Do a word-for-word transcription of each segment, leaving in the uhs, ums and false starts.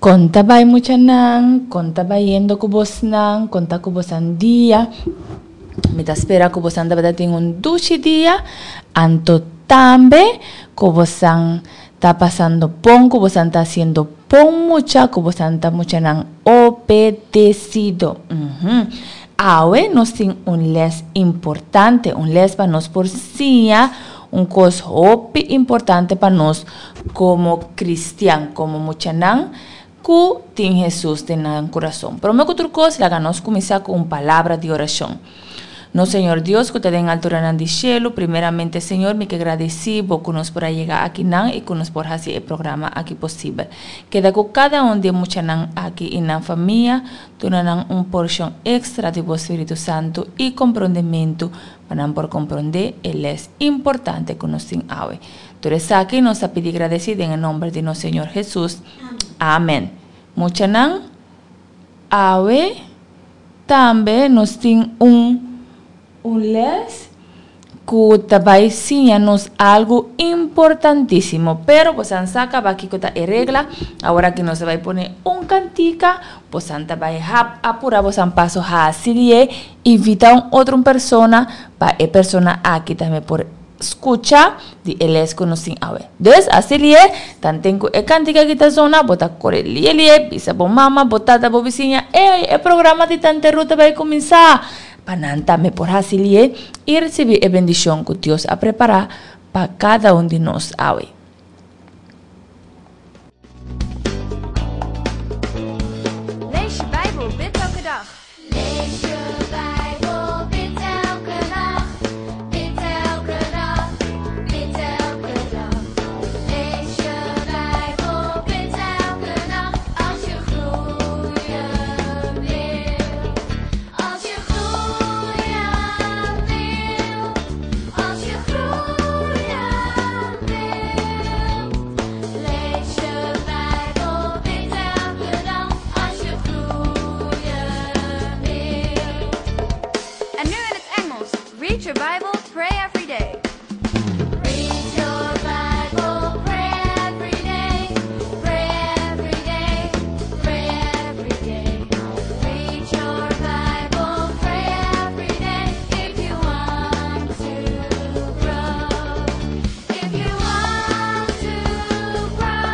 Kon ta bai muchanan, kon ta bayendo ku bosnan, kon ta ku bosan dia. Mi ta spera ku bosan tabata tin un dushi dia, anto tambe ku bosan ta pasando bon, ku bosan ta hasiendo bon mucha, ku bosan ta muchanan obedesido. Uhum. Awe nos tin un les importante, un les pa nos por siña un kos hopi importante pa nos komo kristian, komo muchanan ku tin Hesus den nan kurason. Promé ku tur kos, laga nos kuminsá ku un palabra di orashon. Nos Señor Dios ku ta den alturanan di shelu, primeramente Señor mi ke gradisí bo ku nos por a yega akinan i ku nos por hasi e programa aki posibel. Keda ku kada un di e muchanan aki i nan famia, duna nan un porshon ekstra di bo Spiritu Santu i komprondementu pa nan por komprondé e lès importante ku nos tin awe. Tur esaki nos ta pidi gradesí den e nòmber di nos Señor Hesus. Amèn. Muchanan, awe tambe nos tin un un lès ku ta bai siña nos algu importantísimo. Pero bosan sa kaba kiko ta e regla. Awor aki nos ta bai pone un kantika, bosan ta bai hap apurá bosan paso hasi di e, invitá un otro persona pa e persona aki tambe por skucha di e les ku nos tin awe. Dus, hasi lié, tanten ku e kantika aki ta zona, bo ta kore lié lié, bisa bo mama, bo tata, bo bisiña, Ey, e programa di Tante Ruth ta bai kuminsá! Pa nan tambe por hasi lié i risibí e bendishon ku Dios a prepará pa kada un di nos awe. Lees je Bijbel, bid elke dag. Lees je Bijbel, bid elke nacht. Bid elke dag, bid elke dag. Lees je Bijbel, bid elke nacht. Als je groeien wil. Als je groeien wil. Als je groeien wil. Lees je Bijbel, bid elke dag. Als je groeien wil. En nu in het Engels. Read your Bible, pray every day. Read your Bible, pray every day. Pray every day, pray every day. Read your Bible, pray every day. If you want to grow. If you want to grow.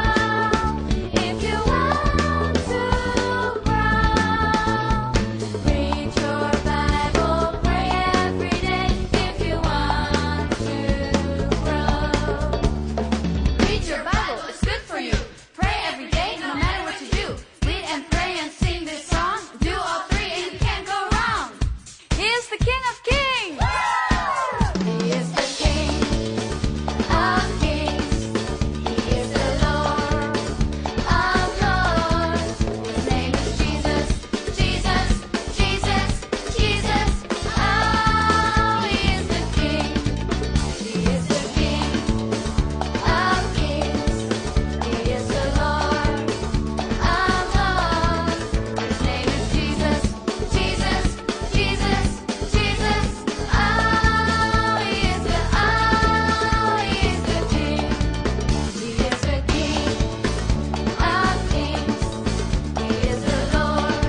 If you want to grow. Read your Bible, pray every day. If you want to grow. Read your Bible, it's good for you. Pray every day, no matter what you do. Read and pray and sing this song. Do all three and you can't go wrong. He is the King of Kings. He is the King of Kings. He is the Lord of Lords. His name is Jesus, Jesus, Jesus, Jesus. Oh, he is the King. He is the King of Kings. He is the Lord of Lords. His name is Jesus, Jesus, Jesus, Jesus. Oh, he is the, oh, he is the King. He is the King of Kings. He is the Lord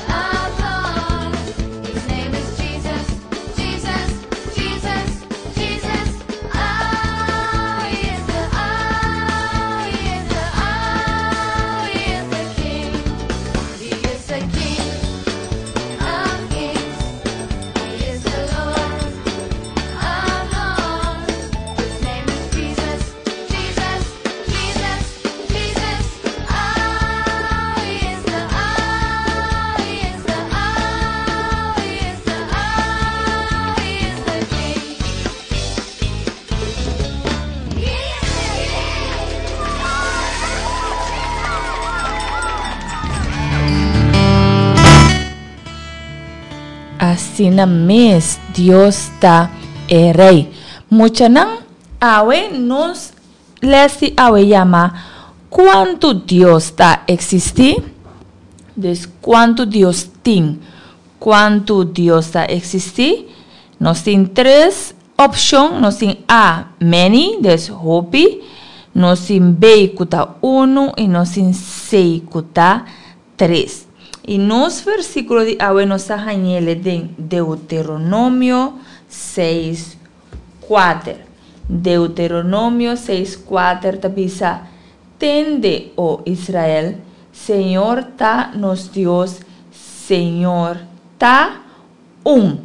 of Lords. His name is Jesus, Jesus, Jesus, Jesus. Oh, he is the, oh, he is the, oh, he is the King. He is the King of Kings. He is the Lord of Lords. His name is Jesus, Jesus, Jesus, Jesus. Oh, he is the, oh, he is the, oh, he is the, oh, he is the King. He is the King. Asina mes, Dios ta e Rei. Muchanan, awe nos les di awe yama Kuantu Dios ta eksistí? Dus kuantu Dios tin? Kuantu Dios ta eksistí? Nos tin tres opshon, nos tin A, many, dus hopi, nos tin B ku ta unu i nos tin esei ku ta tres. I nos versíkulo di awe nos ta hañ'é den Deuteronomio seis kuater. Deuteronomio seis kuater ta bisa, Tende, o Israel, Señor ta nos Dios, Señor ta un.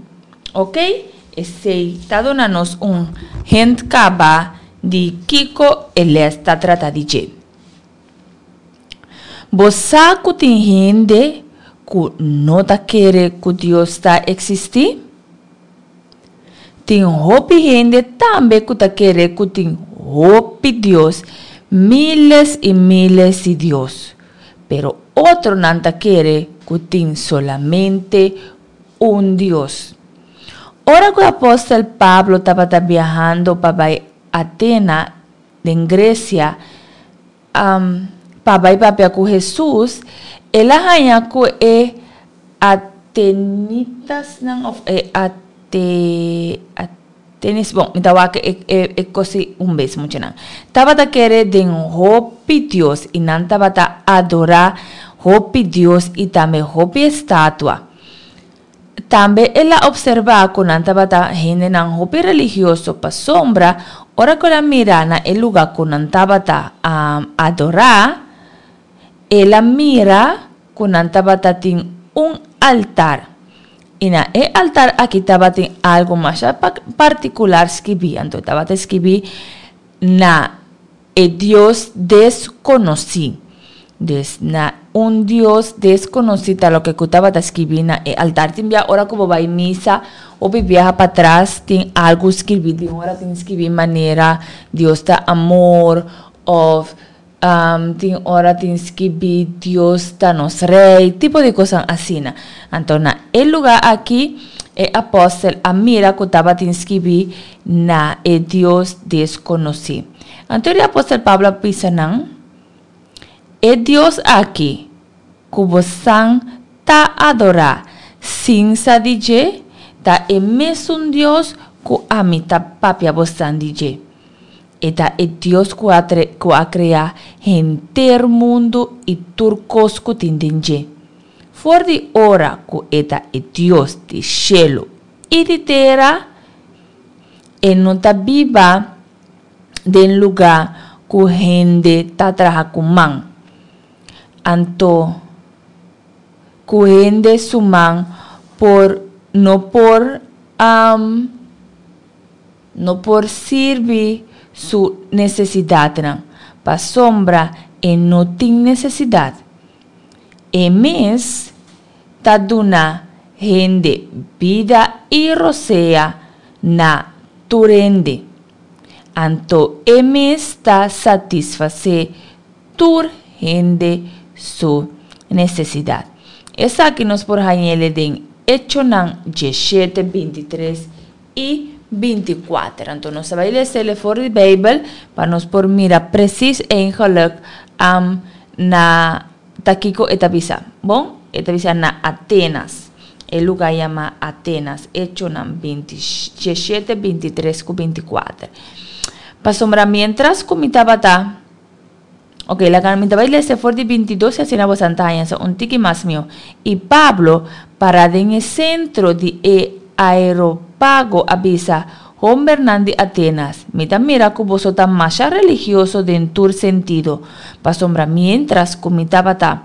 Ok? Esei ta duna nos un hint kaba di kiko e les ta trata di dje. Bo sa ku tin hende ku no ta kere ku Dios ta eksistí? Tin hopi hende tambe ku ta kere ku tin hopi dios, miles i miles di dios. Pero otronan ta kere ku tin solamente un Dios. Ora ku apòstel Pablo tabata biahando pa bai Atena den Gresia pa bai papia ku Hesus, el a haña ku e atenitasnan òf e atenis, bon, mi ta wak e e kos ei un bes muchanan, tabata kere den hopi dios i nan tabata adorá hopi dios i tambe hopi estatua. Tambe el a opservá ku nan tabata hendenan hopi religioso pasobra ora ku el a mira na e lugá ku nan tabata adorá, el a mira ku nan tabata tin un altar. I na e altar aki tabatin algu masha partikular skibí. Anto e tabata skibí na e Dios deskonosí. Dus na un Dios deskonosí ta loke ku tabata skibí na e altar. Tin bia ora ku bo bai misa, hopi biaha patras tin algu skibí. Tin ora tin skibí manera Dios ta amor òf tin ora tin skibí Dios ta nos Rei, tipo di kosnan asina. Anto na e lugá aki e apòstel a mira ku tabatin skibí na e Dios deskonosí. Anto e apòstel Pablo a bisa nan, E Dios aki ku bosan ta adorá sin sa di dje, ta e mesun Dios ku ami ta papia bosan di dje. E ta e Dios ku a ku a krea henter mundu i tur kos ku tin den dje. For di ora ku e ta e Dios di shelu i di tera, e no ta biba den lugá ku hende ta traha ku man. Anto ku hende su man por no por no por sirbi su nesesidatnan, pasobra e no tin nesesidat. E mes ta duna hende bida i rosea na tur hende. Anto e mes ta satisfasé tur hende su nesesidat. Esaki nos por hañ'el den Echonan dieshete, bintitres i bintikuater. Anto nos ta bai les'el for di Beibel pa nos por mira presis eigenlik na ta kiko e ta bisa. Bon, e ta bisa na Atenas. E lugá yama Atenas. Echonan binti, dieshete, bintitres ku bintikuater. Pasobra miéntras ku mi tabata. Ok, laga mi ta bai lesa for di binti dos i asina boso ta haña sa un tiki mas mihó. I Pablo, pará den e sentro di e Aeropago, a bisa, Hombernan di Atenas, mi ta mira ku boso ta masha religioso den tur sentido, pasobra miéntras ku mi tabata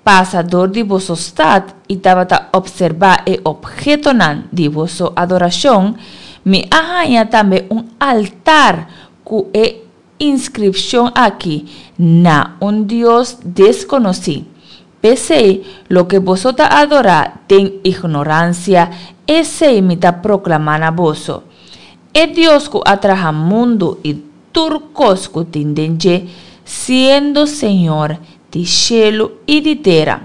pasa dor di boso stat i tabata opserbá e ophetonan di boso adorashon, mi a haña tambe un altar ku e inskripshon aki, Na un Dios deskonosí. P'esei, loke boso ta adorá den ignoransia, esei mi ta proklamá na boso. E Dios ku a traha mundu i tur kos ku tin den dje, siendo Señor di shelu i di tera,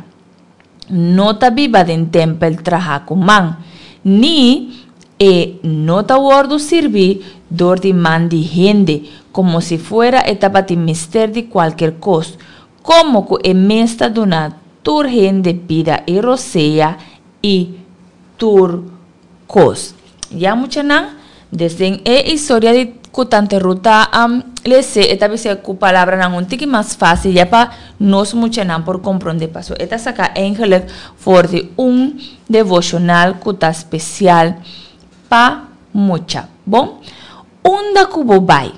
no ta biba den tèmpel trahá ku man, ni e no ta wòrdu sirbí dor di man di hende, komo si fuera e tabatin mester di kualker kos, komo ku e mes ta duna tur hende bida i rosea i tur kos. Ya muchanan, desden e historia di ku Tante Ruth ta lese e ta bisa ku palabranan un tiki mas fásil ya pa nos muchanan por komprondé paso e ta saka eigenlijk for di un devoshonal ku ta spesial pa mucha. Bon, unda ku bo bai?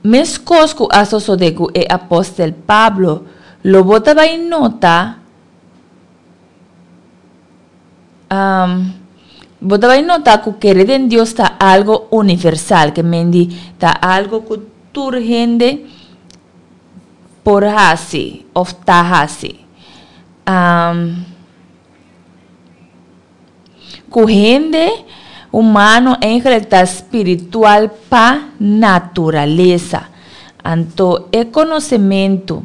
Meskos ku a sosodé ku e apòstel Pablo, lo bo ta bai nota bo ta bai nota ku kere den Dios ta algo universal, ke men di ta algo ku tur hende por hasi òf ta hasi. Ku hende humano eigenlijk ta spiritual pa naturalesa. Anto e konosementu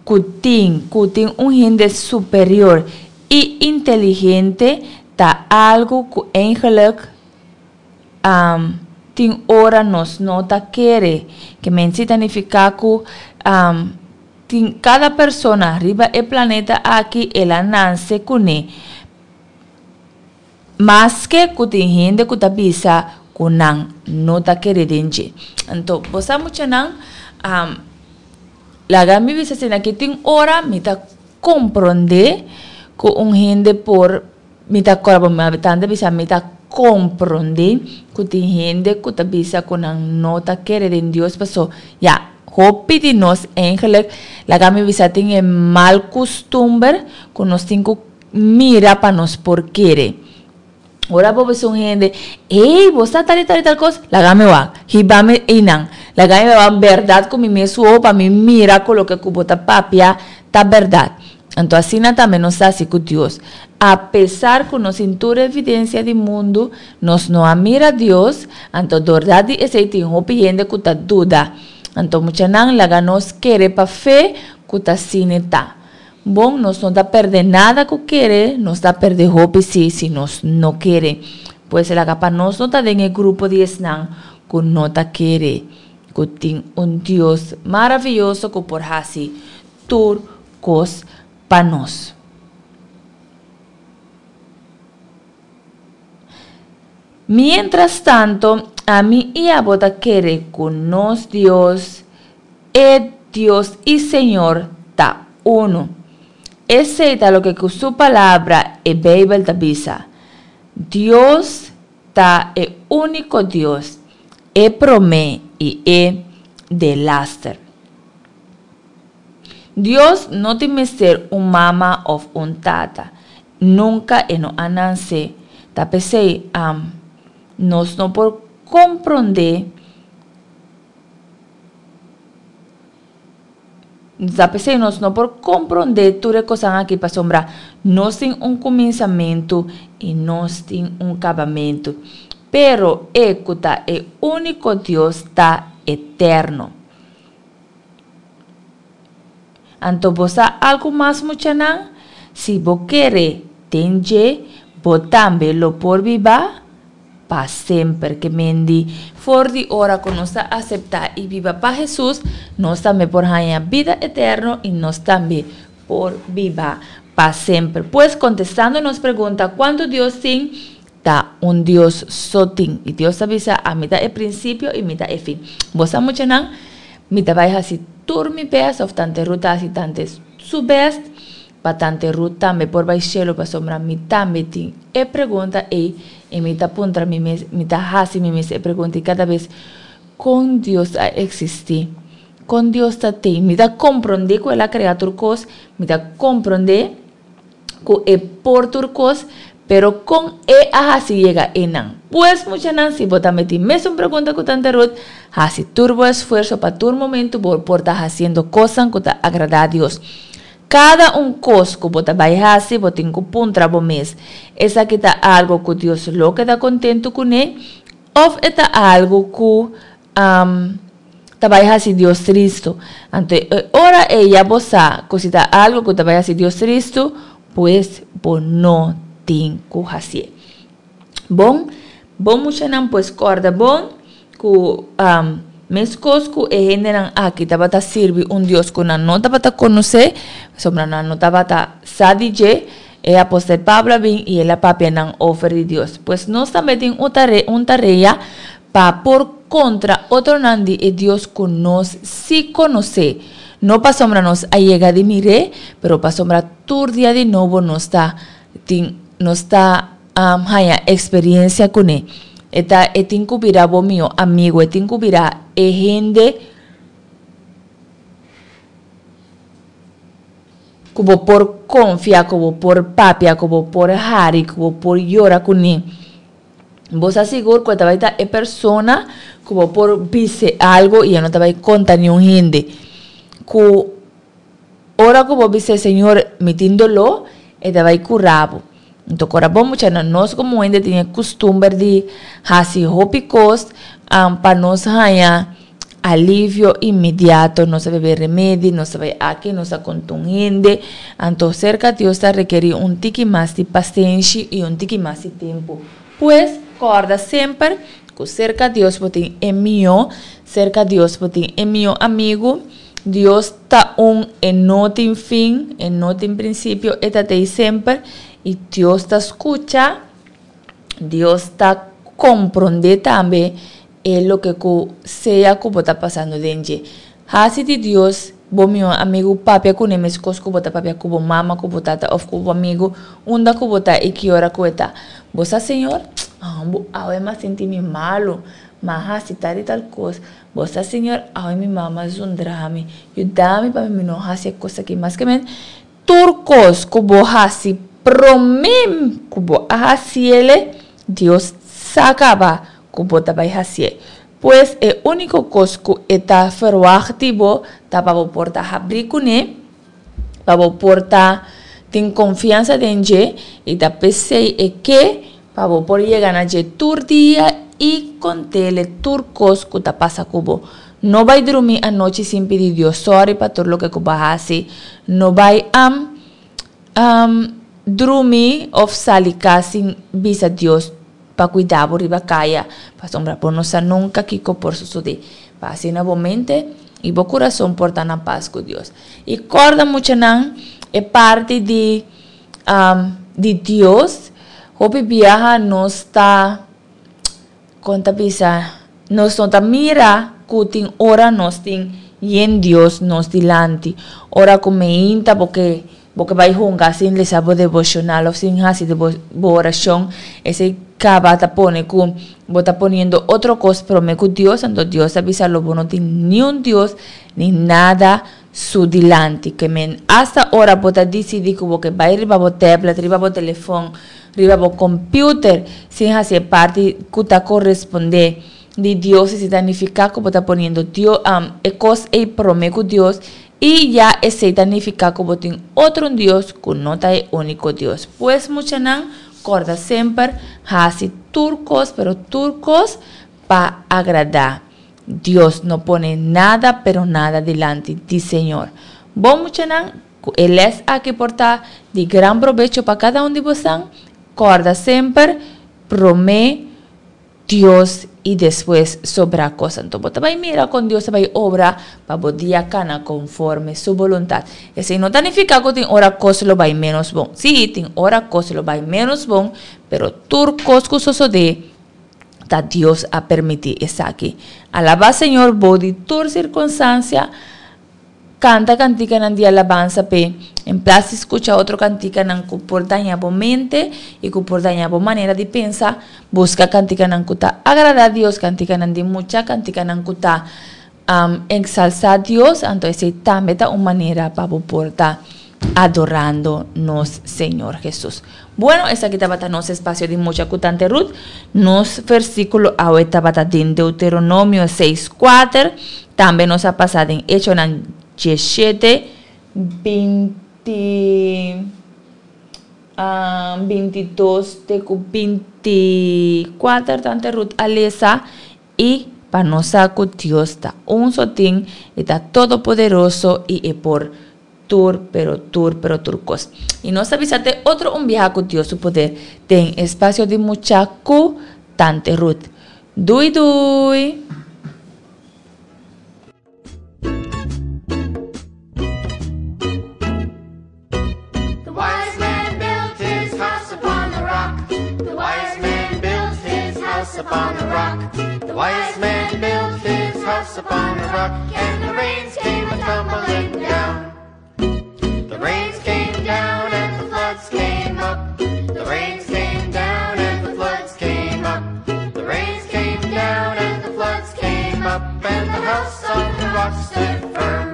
ku tin ku tin un hende superior i inteligente ta algu ku eigenlijk tin ora nos no ta kere. Ke men si ta nifiká ku tin kada persona riba e planeta aki el a nase kuné. Maske ku tin hende ku ta bisa ku nan no ta kere den dje. Anto, bo sa muchanan, laga mi bisa asina ki tin ora mi ta komprondé ku un hende por, mi ta kòrda bo mi tanta bisa mi ta komprondé ku tin hende ku ta bisa ku nan no ta kere den Dios paso ya hopi di nos eigenlijk laga mi bisa tin e mal kustumber ku nos tin ku mira pa nos por kere. Ora bo bisa un hende, Ey, bo sa tal i tal i tal kos? Laga mi wak, hiba mi einan. Laga mi wak bèrdat ku mi mes wowo pa mi mira ku loke ku bo ta papia ta bèrdat. Anto asina tambe nos ta hasi ku Dios. Apesar ku nos tin tur evidensia di mundu, nos no a mira Dios, anto dordat di esei tin hopi hende ku ta duda. Anto muchanan laga nos kere pa fe ku ta asina ta. Bon, nos no ta perde nada ku kere, nos ta perde hopi si si nos no kere. Pues laga pa nos no ta den e grupo di esnan ku no ta kere ku tin un Dios maraviyoso ku por hasi tur kos pa nos. Mientras tanto, ami i abo ta kere ku nos Dios, e Dios i Señor, ta unu. Esei ta loke ku su Palabra, e Beibel, ta bisa, Dios ta e úniko Dios, e promé i e delaster. Dios no tin mester un mama òf un tata. Nunka e no a nanse. Ta p'esei, am, nos no por komprondé, ta p'esei nos no por komprondé tur e kosnan aki pasobra nos tin un kuminsamentu i nos tin un kabamentu. Pero e ku ta e úniko Dios ta eterno. Anto bo sa algu mas muchanan? Si bo kere den dje, bo tambe lo por biba pa semper. Ke men di, for di ora ku nos ta aseptá i biba pa Hesus, nos tambe por haña bida eterno i nos tambe por biba pa semper. Pues, kontestando nos pregunta, kuantu Dios tin? Ta un Dios so tin. I Dios ta bisa, Ami ta e prinsipio i mi ta e fin. Bo sa muchanan, mi ta bai hasi tur mi bèst òf tante Ruth ta hasi tante su bèst pa tante Ruth tambe por bai shelu pasobra mi tambe tin e pregunta ei i mi ta puntra mi mes, mi ta hasi mi mes e pregunta i kada bes kon Dios a eksistí, kon Dios ta tei. Mi ta komprondé ku el a krea tur kos, mi ta komprondé ku e por tur kos, pero kon e a hasi yega einan? Pues muchanan, si bo ta meti mesun pregunta ku Tante Ruth, hasi tur bo esfuerso pa tur momentu bo por ta hasiendo kosnan ku ta agradá Dios. Kada un kos ku bo ta bai hasi, bo tin ku puntra bo mes, Esaki ta algu ku Dios lo keda kontentu kuné òf e ta algu ku ta bai hasi Dios tristu? Anto e ora ei ya bo sa ku si ta algu ku ta bai hasi Dios tristu, pues bo no tin ku hasié. Bon, bo muchanan pues kòrda bon ku meskos ku e hendenan aki tabata sirbi un Dios ku nan no tabata konosé, pasobra nan no tabata sa di dje, e apostel Pablo a bin i el a papia nan over di Dios. Pues nos tambe tin un tarea pa Pa por kontra otronan di e Dios ku nos sí konosé. No pasobra nos a yega di mir'é, pero pasobra tur dia di nobo nos ta tin nos ta haña eksperensia kuné. E ta e tin ku bira bo mihó amigu, e tin ku bira e hende ku bo por konfia, ku bo por papia, ku bo por hari, ku bo por yora kuné. Bo sa sigur ku e ta bai ta e persona ku bo por bis'é algu i e no ta bai konta niun hende. Ku ora ku bo bis'é, Señor, mi tin doló, e ta bai kura bo. Anto kora bo muchanan, nos komo hende tin e kustumber di hasi hopi kos pa nos haña alivio inmediato. Nos ta bebe remedi, nos ta bai aki, nos ta konta un hende. Anto serka Dios ta rekerí un tiki mas di pasenshi i un tiki mas di tempu. Pues, kòrda semper ku serka Dios bo tin e mihó, serka Dios bo tin e mihó amigu. Dios ta un, e no tin fin, e no tin prinsipio, e ta t'ei semper. I Dios ta skucha, Dios ta komprondé tambe e loke ku sea ku bo ta pasando den dje. Hasi di Dios bo mihó amigu, papia kuné meskos ku bo ta papia ku bo mama, ku bo tata òf ku bo amigu, unda ku bo ta i ki ora ku e ta. Bo sa, Señor, bo awe m'a sinti mi malu, m'a hasi tal i tal kos. Bo sa, Señor, awe mi mama zundra mi, yuda mi pa mi no hasi e kos aki mas. Ke men, tur kos ku bo hasi promé ku bo a hasiele, Dios sa kaba ku bo ta bai hasié. Pues e úniko kos ku e ta ferwagt di bo ta pa bo por ta habrí kuné, pa bo por ta tin konfiansa den dje, i ta p'esei e ke pa bo por yega na dje tur dia i kont'el tur kos ku ta pasa ku bo. No bai drumí anochi sin pidi Dios sòri pa tur loke ku bo a hasi. No bai am drumí òf sali kas sin bisa Dios pa kuida bo riba kaya, pasobra bo no sa nunka kiko por sosodé. Pa asina bo mente i bo kurason por ta na pas ku Dios. I kòrda muchanan e parti di di Dios, hopi biaha nos ta, kon ta bisa, nos no ta mira ku tin ora nos tin yen Dios nos dilanti. Ora ku meinta bo ke Bo ke bai hunga sin lesa bo devoshonal òf sin hasi bo orashon, esei kaba ta pone ku bo ta poniendo otro kos promé ku Dios, anto Dios ta bisa lo bo no tin niun Dios ni nada su dilanti. Ke men asta ora bo ta disidí ku bo ke bai riba bo tablet, riba bo telefòn, riba bo computer sin hasi e parti ku ta korespondé di Dios, esei ta nifiká ku bo ta poniendo Dios e kos ei promé ku Dios. I ya esei ta nifiká ku bo tin otro un Dios ku no ta e úniko Dios. Pues muchanan, kòrda semper, hasi tur kos, pero tur kos, pa agradá Dios. No pone nada, pero nada dilanti di Señor. Bon muchanan, ku e lès aki por ta di gran probecho pa kada un di bosan. Kòrda semper, promé Dios i despues sobrá kos. Anto bo ta bai mira kon Dios ta bai obra pa bo dia kana konforme su boluntat. Esei no ta nifiká ku tin ora kos lo bai ménos bon. Sí, tin ora kos lo bai ménos bon, pero tur kos ku sosodé ta Dios a permití esaki. Alabá Señor bou di tur sirkunstansia. Kanta kantikanan di alabansa p'e, en plas di skucha otro kantikanan ku por daña bo mente i ku por daña bo manera di pensa, buska kantikanan ku ta agradá Dios, kantikanan di mucha, kantikanan ku ta eksalsá Dios, anto esei tambe ta un manera pa bo por ta adorando nos Señor Hesus. Bueno, esaki tabata nos espasio di mucha ku Tante Ruth. Nos versíkulo awe tabata den Deuteronomio seis kuater. Tambe nos a pasa den Echonan diesshete, binti, binti dos te ku binti kuater Tante Ruth a lesa i pa nos sa ku Dios ta un so tin, e ta todopoderoso i e por tur pero tur pero tur kos. I nos ta bisa te otro un biaha ku Dios su poder den Espacio di Mucha ku Tante Ruth. Dui dui! The wise man built his house upon the rock. The wise man built his house upon the rock. The wise rock, and the rains came a tumbling down. The rains came down and the floods came up. The rains came down and the floods came up. The rains came down and the floods came up, and the house on the rock stood firm.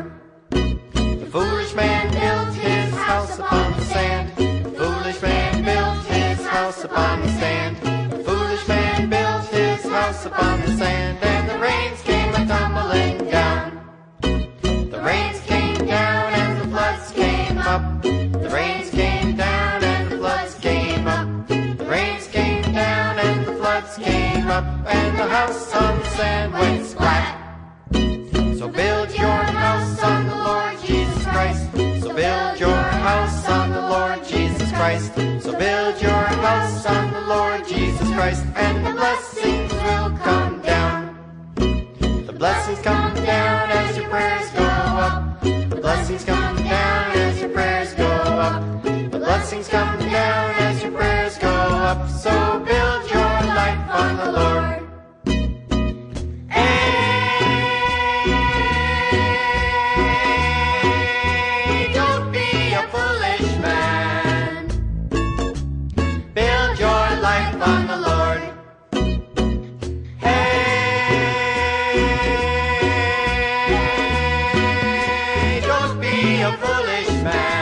The foolish man built his house upon the sand. The foolish man built his house upon the sand. The foolish man built his house upon the sand, and the rains came a tumbling down. The rains came down and the floods came up. The rains came down and the floods came up. The rains came down and the floods came up, and the house on the sand went splat. So build your house on the Lord Jesus Christ. So build your house on the Lord Jesus Christ. So build your house on the Lord Jesus Christ, and the blessings will come down. The blessings come down as your prayers go up. The blessings come down as your prayers go up. The blessings come down as your prayers go up. So build your life on the Lord. Hey, don't be a foolish man. Build your life on the Lord. Hey, don't be a foolish man.